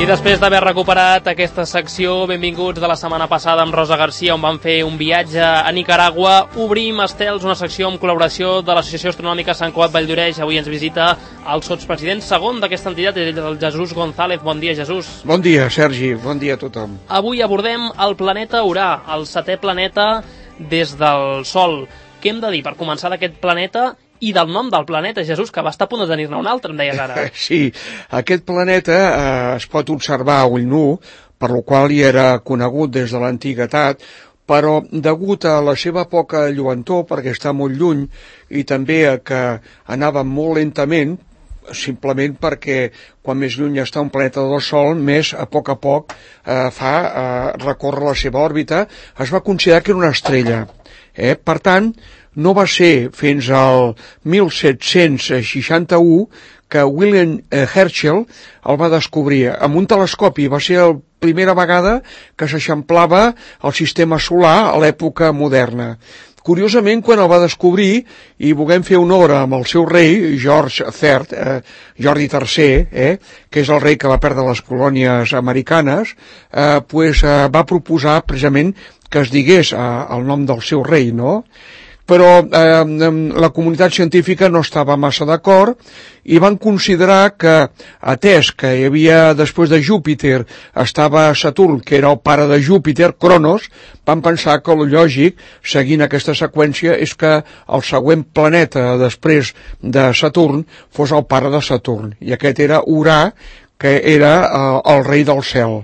I després d'haver recuperat aquesta secció, benvinguts de la setmana passada amb Rosa Garcia, on vam fer un viatge a Nicaragua. Obrim, Estels, una secció amb col·laboració de l'Associació Astronòmica Sant Cugat Valldoreix. Avui ens visita el sotspresident segon d'aquesta entitat, el Jesús González. Bon dia, Jesús. Bon dia, Sergi. Bon dia a tothom. Avui abordem el planeta Urà, el 7è planeta des del Sol. Què hem de dir per començar d'aquest planeta i del nom del planeta, Jesús, que va estar a punt de tenir-ne un altre, em deies ara. Sí, aquest planeta es pot observar a ull nu, per lo qual hi era conegut des de l'antiguitat, però degut a la seva poca lluentor, perquè està molt lluny, i també a que anava molt lentament, simplement perquè quan més lluny està un planeta del Sol, més a poc recórrer la seva òrbita, es va considerar que era una estrella. Per tant, no va ser fins al 1761 que William Herschel el va descobrir amb un telescopi. Va ser la primera vegada que s'eixamplava el sistema solar a l'època moderna. Curiosament, quan el va descobrir, i volem fer honor amb el seu rei, Jordi III, que és el rei que va perdre les colònies americanes, va proposar precisament que es digués el nom del seu rei, no? Però la comunitat científica no estava massa d'acord i van considerar que, atès que hi havia, després de Júpiter, estava Saturn, que era el pare de Júpiter, Cronos, van pensar que el lògic, seguint aquesta seqüència, és que el següent planeta després de Saturn fos el pare de Saturn, i aquest era Urà, que era el rei del cel.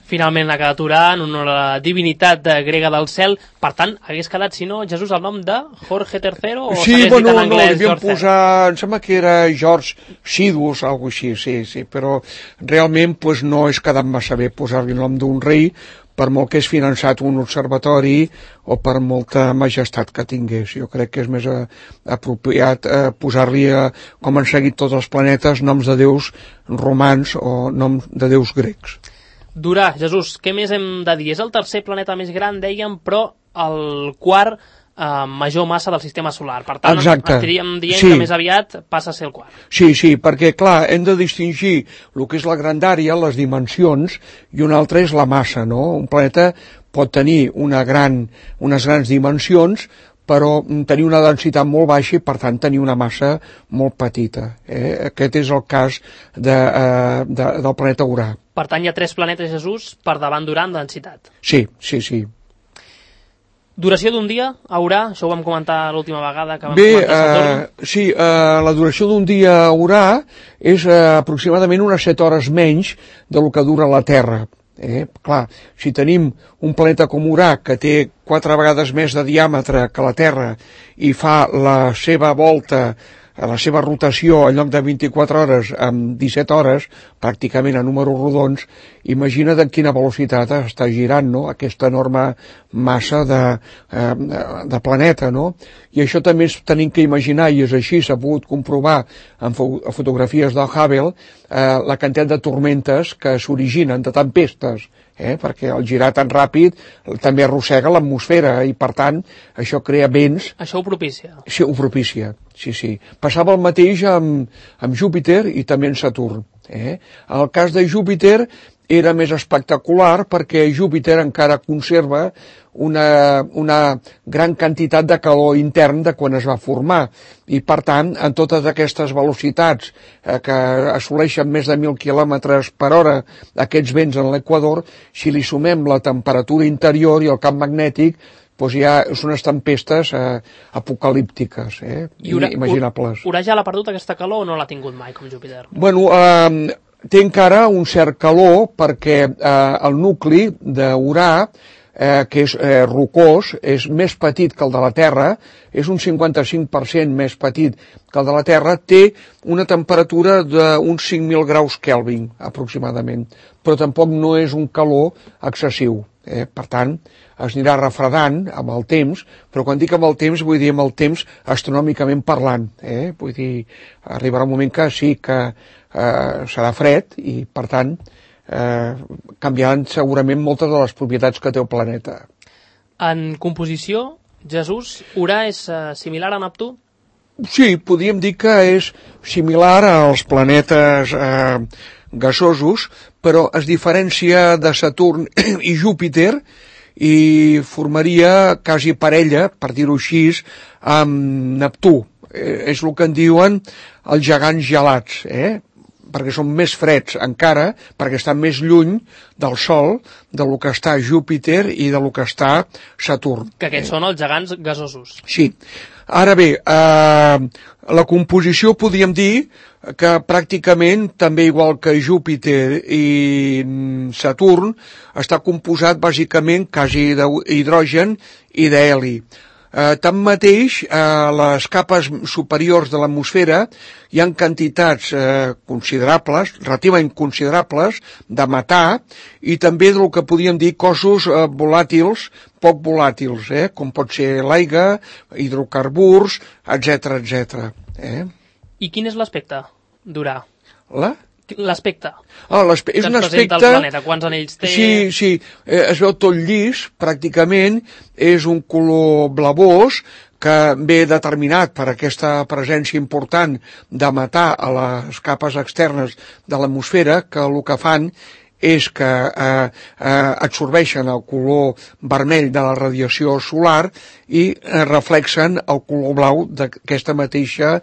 Finalment ha quedat Urà en honor a la divinitat grega del cel. Per tant, hagués quedat, si no, Jesús, el nom de Jorge III? O sí, bueno, no, li havíem posar, em sembla que era George Sidus, alguna cosa així, sí, però realment no és quedat massa bé posar-li el nom d'un rei, per molt que és finançat un observatori o per molta majestat que tingués. Jo crec que és més apropiat posar-li, com han seguit tots els planetes, noms de déus romans o noms de déus grecs. D'Urà, Jesús, què més hem de dir? És el tercer planeta més gran, dèiem, però el quart major massa del sistema solar. Per tant, estaríem dient que més aviat passa a ser el quart. Sí, perquè, clar, hem de distingir el que és la grandària, les dimensions, i una altra és la massa, no? Un planeta pot tenir unes grans dimensions, però tenir una densitat molt baixa i, per tant, tenir una massa molt petita. Aquest és el cas del planeta Urà. Per tant, hi ha 3 planetes, Jesús, per davant d'Urà en densitat. Sí. Duració d'un dia a Urà, això ho vam comentar l'última vegada que vam comentar Saturn. Sí, la duració d'un dia a Urà és aproximadament unes 7 hores menys del que dura la Terra. Clar, si tenim un planeta com Urà que té 4 vegades més de diàmetre que la Terra i fa la seva volta, la seva rotació en lloc de 24 hores amb 17 hores, pràcticament a números rodons, imagina't en quina velocitat està girant, no?, aquesta enorme massa de planeta, no? I això també tenim que imaginar, i és així, s'ha pogut comprovar en fotografies del Hubble, la quantitat de tormentes que s'originen, de tempestes, perquè el girar tan ràpid també arrossega l'atmosfera i, per tant, això crea vents. Això ho propicia? Sí, ho propicia, sí. Passava el mateix amb Júpiter i també amb Saturn. En el cas de Júpiter era més espectacular perquè Júpiter encara conserva una gran quantitat de calor intern de quan es va formar i, per tant, en totes aquestes velocitats que assoleixen més de 1.000 km per hora aquests vents en l'equador, si li sumem la temperatura interior i el camp magnètic, doncs ja són unes tempestes apocalíptiques, imaginables. Urà ja l'ha perdut aquesta calor o no l'ha tingut mai com Júpiter? Bueno, té encara un cert calor perquè el nucli d'Urà, que és rocós, és més petit que el de la Terra, és un 55% més petit que el de la Terra, té una temperatura d'uns 5.000 graus Kelvin, aproximadament, però tampoc no és un calor excessiu. Per tant, es anirà refredant amb el temps, però quan dic amb el temps, vull dir amb el temps astronòmicament parlant. Vull dir, arribarà un moment que sí que serà fred i, per tant, canviaran segurament moltes de les propietats que té el planeta. En composició, Jesús, Urà és similar a Neptú? Sí, podríem dir que és similar als planetes gasosos, però es diferencia de Saturn i Júpiter i formaria quasi parella, per dir-ho així, amb Neptú. És el que en diuen els gegants gelats, perquè són més freds encara, perquè estan més lluny del Sol, del que està Júpiter i del que està Saturn. Que aquests són els gegants gasosos. Sí. Ara bé, la composició podríem dir que pràcticament, també igual que Júpiter i Saturn, està composat bàsicament quasi d'hidrogen i d'heli. Tanmateix, a les capes superiors de l'atmosfera hi ha quantitats considerables, relativament considerables, de metà i també del que podríem dir cossos volàtils, poc volàtils, com pot ser l'aigua, hidrocarburs, etc etc. I quin és l'aspecte d'Urà? L'aspecte. És un aspecte... planeta. Quants anells té? Sí, es veu tot llis, pràcticament, és un color blavós que ve determinat per aquesta presència important de metà a les capes externes de l'atmosfera, que el que fan és que absorbeixen el color vermell de la radiació solar i reflexen el color blau d'aquesta mateixa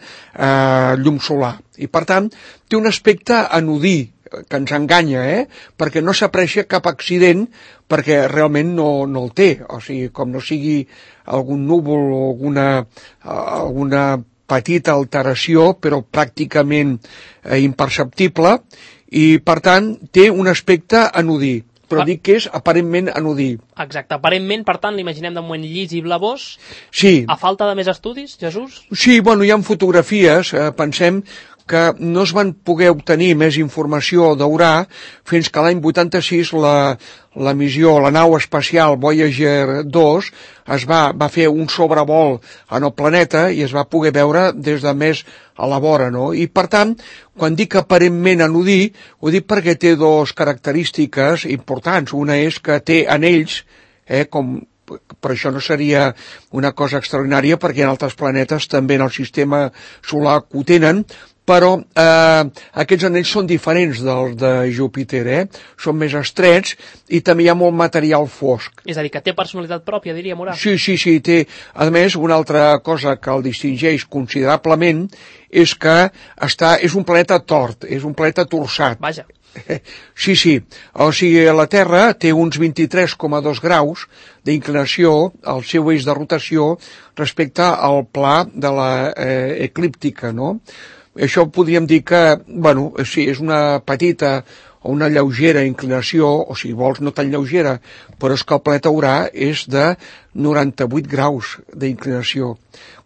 llum solar. I, per tant, té un aspecte anodí, que ens enganya, perquè no s'aprecia cap accident, perquè realment no el té. O sigui, com no sigui algun núvol o alguna petita alteració, però pràcticament imperceptible, i, per tant, té un aspecte anodí, però dic que és aparentment anodí. Exacte, aparentment, per tant, l'imaginem de moment llis i blavós. Sí. A falta de més estudis, Jesús? Sí, bueno, hi ha fotografies, pensem que no es van poder obtenir més informació d'Urà fins que l'any 86 la missió, la nau espacial Voyager 2 va fer un sobrevol en el planeta i es va poder veure des de més a la vora, no? I, per tant, quan dic aparentment anodí, ho dic perquè té dues característiques importants. Una és que té anells, per això no seria una cosa extraordinària, perquè en altres planetes també en el sistema solar que ho tenen, però aquests anells són diferents dels de Júpiter, són més estrets i també hi ha molt material fosc. És a dir, que té personalitat pròpia, diríem, Urà. Sí, té. A més, una altra cosa que el distingeix considerablement és que és un planeta tort, és un planeta torçat. Vaja. Sí. O sigui, la Terra té uns 23,2 graus d'inclinació al seu eix de rotació respecte al pla de l'eclíptica, no? Això podríem dir que, sí, és una petita o una lleugera inclinació, o si vols no tan lleugera, però és que el planeta Urà és de 98 graus d'inclinació.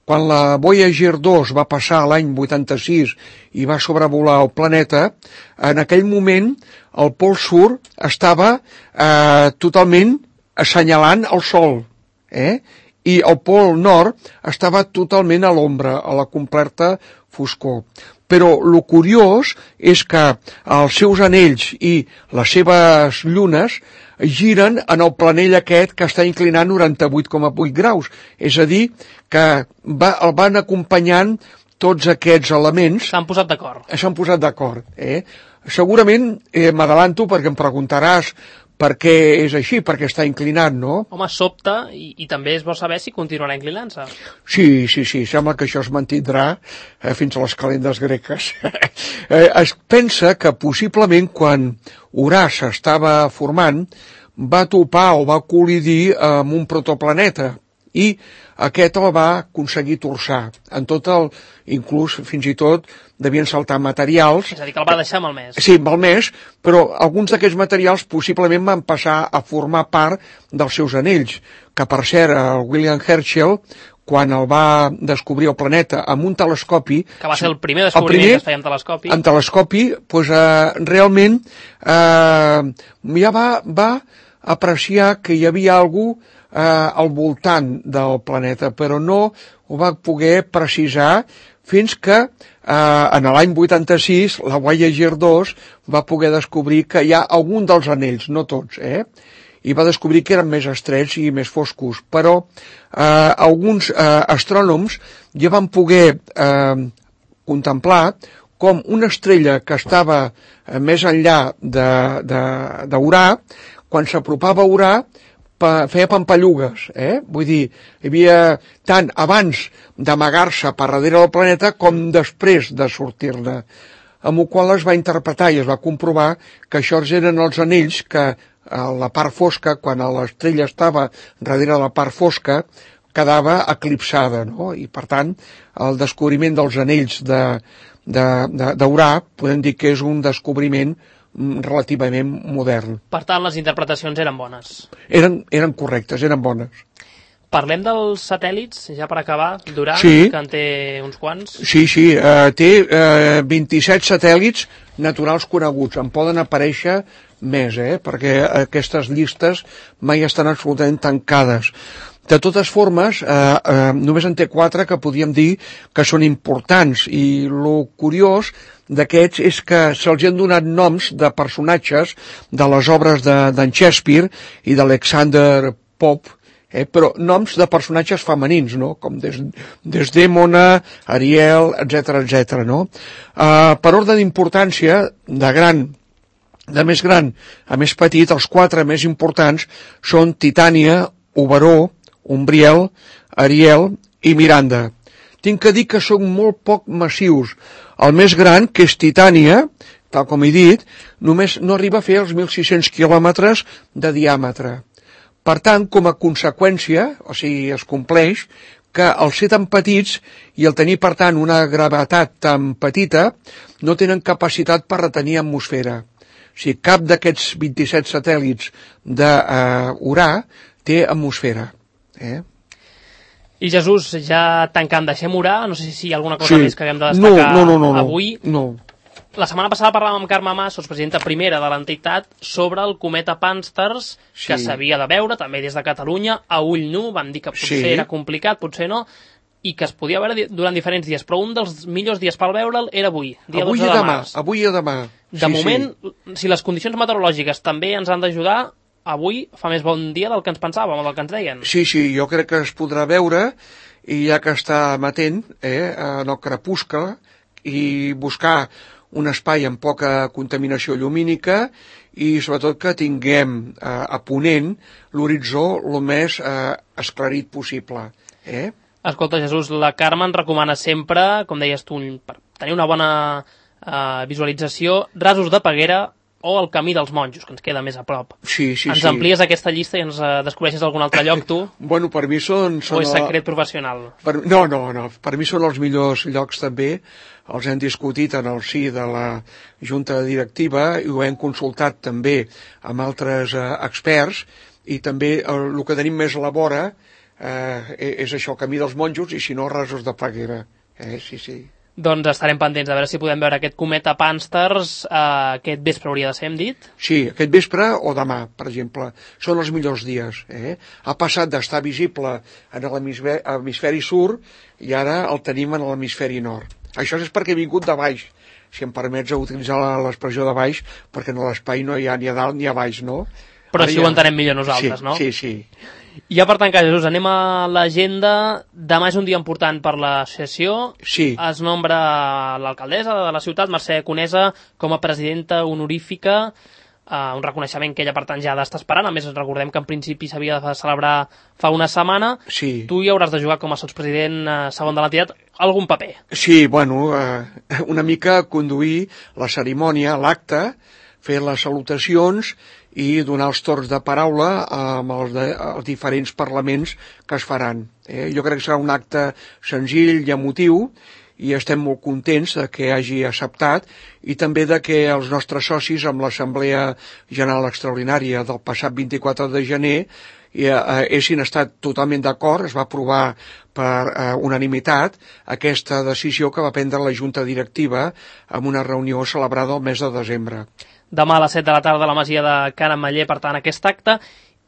Quan la Voyager 2 va passar l'any 86 i va sobrevolar el planeta, en aquell moment el pol sud estava totalment assenyalant el Sol, i el pol nord estava totalment a l'ombra, a la completa foscor. Però el curiós és que els seus anells i les seves llunes giren en el planell aquest que està inclinant 98,8 graus. És a dir, que el van acompanyant tots aquests elements. S'han posat d'acord. Segurament, m'adavanto perquè em preguntaràs per què és així, perquè està inclinat, no? Home, sobta, i també es vol saber si continuarà inclinant-se. Sí, sembla que això es mantindrà fins a les calendes greques. Es pensa que possiblement quan Urà s'estava formant va topar o va col·lidir amb un protoplaneta i aquest el va aconseguir torçar. Inclús fins i tot devien saltar materials. És a dir, que el va deixar malmès. Sí, malmès, però alguns d'aquests materials possiblement van passar a formar part dels seus anells, que per cert, el William Herschel, quan el va descobrir el planeta amb un telescopi... Que va ser el primer descobriment que es feia amb telescopi. Amb telescopi, doncs realment ja va apreciar que hi havia algú al voltant del planeta, però no ho va poder precisar fins que en l'any 86 la Voyager 2 va poder descobrir que hi ha algun dels anells, no tots, i va descobrir que eren més estrets i més foscos, però alguns astrònoms ja van poder contemplar com una estrella que estava més enllà d'Urà, quan s'apropava a Urà, feia pampallugues, Vull dir, hi havia tant abans d'amagar-se per darrere del planeta com després de sortir-ne, amb el qual es va interpretar i es va comprovar que això eren els anells que a la part fosca, quan l'estrella estava darrere de la part fosca, quedava eclipsada, no? I per tant, el descobriment dels anells d'Urà podem dir que és un descobriment relativament modern. Per tant, les interpretacions eren bones. Eren correctes, eren bones. Parlem dels satèl·lits, ja per acabar, d'Urà, sí. Que en té uns quants. Sí, té 27 satèl·lits naturals coneguts. En poden aparèixer més, perquè aquestes llistes mai estan absolutament tancades. De totes formes, només en té 4 que podríem dir que són importants, i lo curiós d'aquests és que se'ls han donat noms de personatges de les obres d'en Shakespeare i d'Alexander Pope, però noms de personatges femenins, no? Com Desdèmona, Ariel, etc., no? Per ordre d'importància, de més gran a més petit, els 4 més importants són Titània, Oberó, Umbriel, Ariel i Miranda. Tinc que dir que són molt poc massius. El més gran, que és Titània, tal com he dit, només no arriba a fer els 1.600 quilòmetres de diàmetre. Per tant, com a conseqüència, o sigui, es compleix, que al ser tan petits i al tenir, per tant, una gravetat tan petita, no tenen capacitat per retenir atmosfera. O sigui, cap d'aquests 27 satèl·lits d'Urà té atmosfera. I Jesús, ja tancant, deixem Urà, no sé si hi ha alguna cosa més que haguem de destacar avui. No. La setmana passada parlàvem amb Carme Mas, sotspresidenta primera de l'entitat, sobre el cometa Pànsters, que s'havia de veure també des de Catalunya, a ull nu, vam dir que potser era complicat, potser no, i que es podia veure durant diferents dies, però un dels millors dies per veure'l era avui, dia 12 de març. Avui i demà. De moment, si les condicions meteorològiques també ens han d'ajudar, avui fa més bon dia del que ens pensàvem, del que ens deien. Sí, jo crec que es podrà veure, i ja que està amatent en el crepuscle, i buscar un espai amb poca contaminació llumínica i sobretot que tinguem a ponent l'horitzó el més esclarit possible. Escolta, Jesús, la Carme ens recomana sempre, com deies tu, per tenir una bona visualització, Rasos de Peguera o el Camí dels Monjos, que ens queda més a prop. Sí. Ens amplies aquesta llista i ens descobreixes algun altre lloc, tu? Bueno, per mi són... O és secret professional? No. Per mi són els millors llocs també. Els hem discutit en el si de la Junta Directiva i ho hem consultat també amb altres experts, i també el que tenim més a la vora és això, Camí dels Monjos, i si no, Rasos de Peguera. Sí. Doncs estarem pendents a veure si podem veure aquest cometa Pànsters aquest vespre, hauria de ser, hem dit? Sí, aquest vespre o demà, per exemple. Són els millors dies. Ha passat d'estar visible en l'hemisferi sud i ara el tenim en l'hemisferi nord. Això és perquè he vingut de baix, si em permets utilitzar l'expressió de baix, perquè en l'espai no hi ha ni a dalt ni a baix, no? Però així ho entenem millor nosaltres, no? Sí. I ja per tancar, Jesús, anem a l'agenda. Demà és un dia important per l'associació. Sí. Es nombra l'alcaldessa de la ciutat, Mercè Conesa, com a presidenta honorífica, un reconeixement que ella, per tant, ja ha d'estar esperant. A més, recordem que en principi s'havia de celebrar fa una setmana. Sí. Tu hi hauràs de jugar com a sotspresident segon de l'entitat algun paper. Sí, bueno, una mica conduir la cerimònia, l'acte, fer les salutacions i donar els torns de paraula amb els diferents parlaments que es faran. Jo crec que serà un acte senzill i emotiu, i estem molt contents de que hagi acceptat, i també de que els nostres socis amb l'Assemblea General Extraordinària del passat 24 de gener haguessin estat totalment d'acord. Es va aprovar per unanimitat aquesta decisió que va prendre la Junta Directiva en una reunió celebrada el mes de desembre. Demà a les 7 de la tarda a la Masia de Can Ametller, per tant, aquest acte.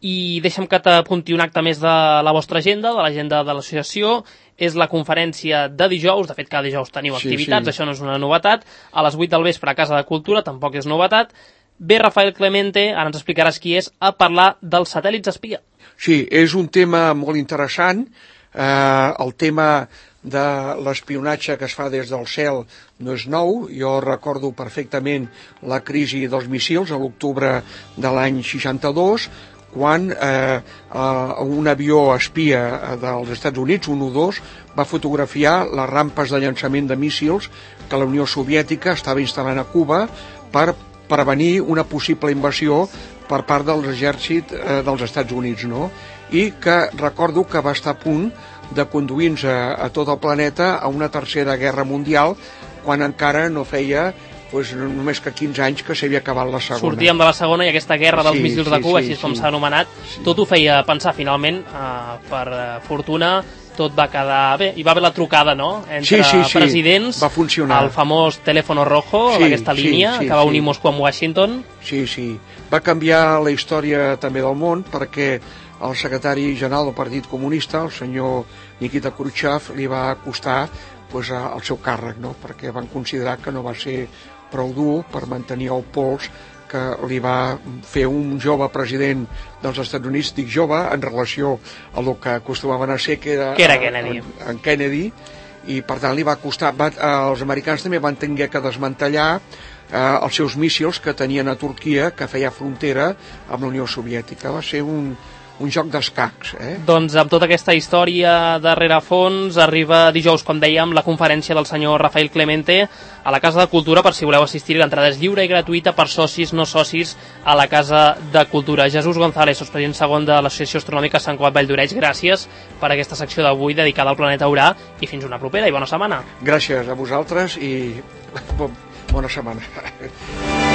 I deixa'm que t'apunti un acte més de la vostra agenda, de l'agenda de l'associació. És la conferència de dijous, de fet cada dijous teniu activitats, això no és una novetat, a les 8 del vespre a Casa de Cultura, tampoc és novetat. Ve Rafael Clemente, ara ens explicaràs qui és, a parlar dels satèl·lits espia. Sí, és un tema molt interessant, El tema de l'espionatge que es fa des del cel no és nou. Jo recordo perfectament la crisi dels míssils a l'octubre de l'any 62, quan un avió espia dels Estats Units, un U-2, va fotografiar les rampes de llançament de míssils que la Unió Soviètica estava instal·lant a Cuba per prevenir una possible invasió per part dels exèrcits dels Estats Units, no? I que recordo que va estar a punt de conduir-nos a tot el planeta a una tercera guerra mundial, quan encara no feia només que 15 anys que s'havia acabat la segona. Sortíem de la segona i aquesta guerra dels míssils de Cuba, així com s'ha anomenat, tot ho feia pensar. Finalment, per fortuna, tot va quedar bé. Hi va haver la trucada, no?, entre presidents, va funcionar. El famós telèfono rojo, aquesta línia que va unir Moscou amb Washington. Sí. Va canviar la història també del món, perquè el secretari general del Partit Comunista, el senyor Nikita Khrushchev, li va costar el seu càrrec, no?, perquè van considerar que no va ser prou dur per mantenir el pols que li va fer un jove president dels Estats Units. Dic jove en relació a el que acostumaven a ser, que era Kennedy. En Kennedy, i per tant li va costar. Els americans també van tenir que desmantellar els seus míssils que tenien a Turquia, que feia frontera amb la Unió Soviètica. Va ser un joc d'escacs. Doncs amb tota aquesta història de rerefons, arriba dijous, com dèiem, la conferència del senyor Rafael Clemente a la Casa de Cultura. Per si voleu assistir, l'entrada és lliure i gratuïta per socis, no socis, a la Casa de Cultura. Jesús González, president segon de l'Associació Astronòmica Sant Cugat Valldoreix, gràcies per aquesta secció d'avui dedicada al planeta Urà, i fins una propera i bona setmana. Gràcies a vosaltres i bona setmana.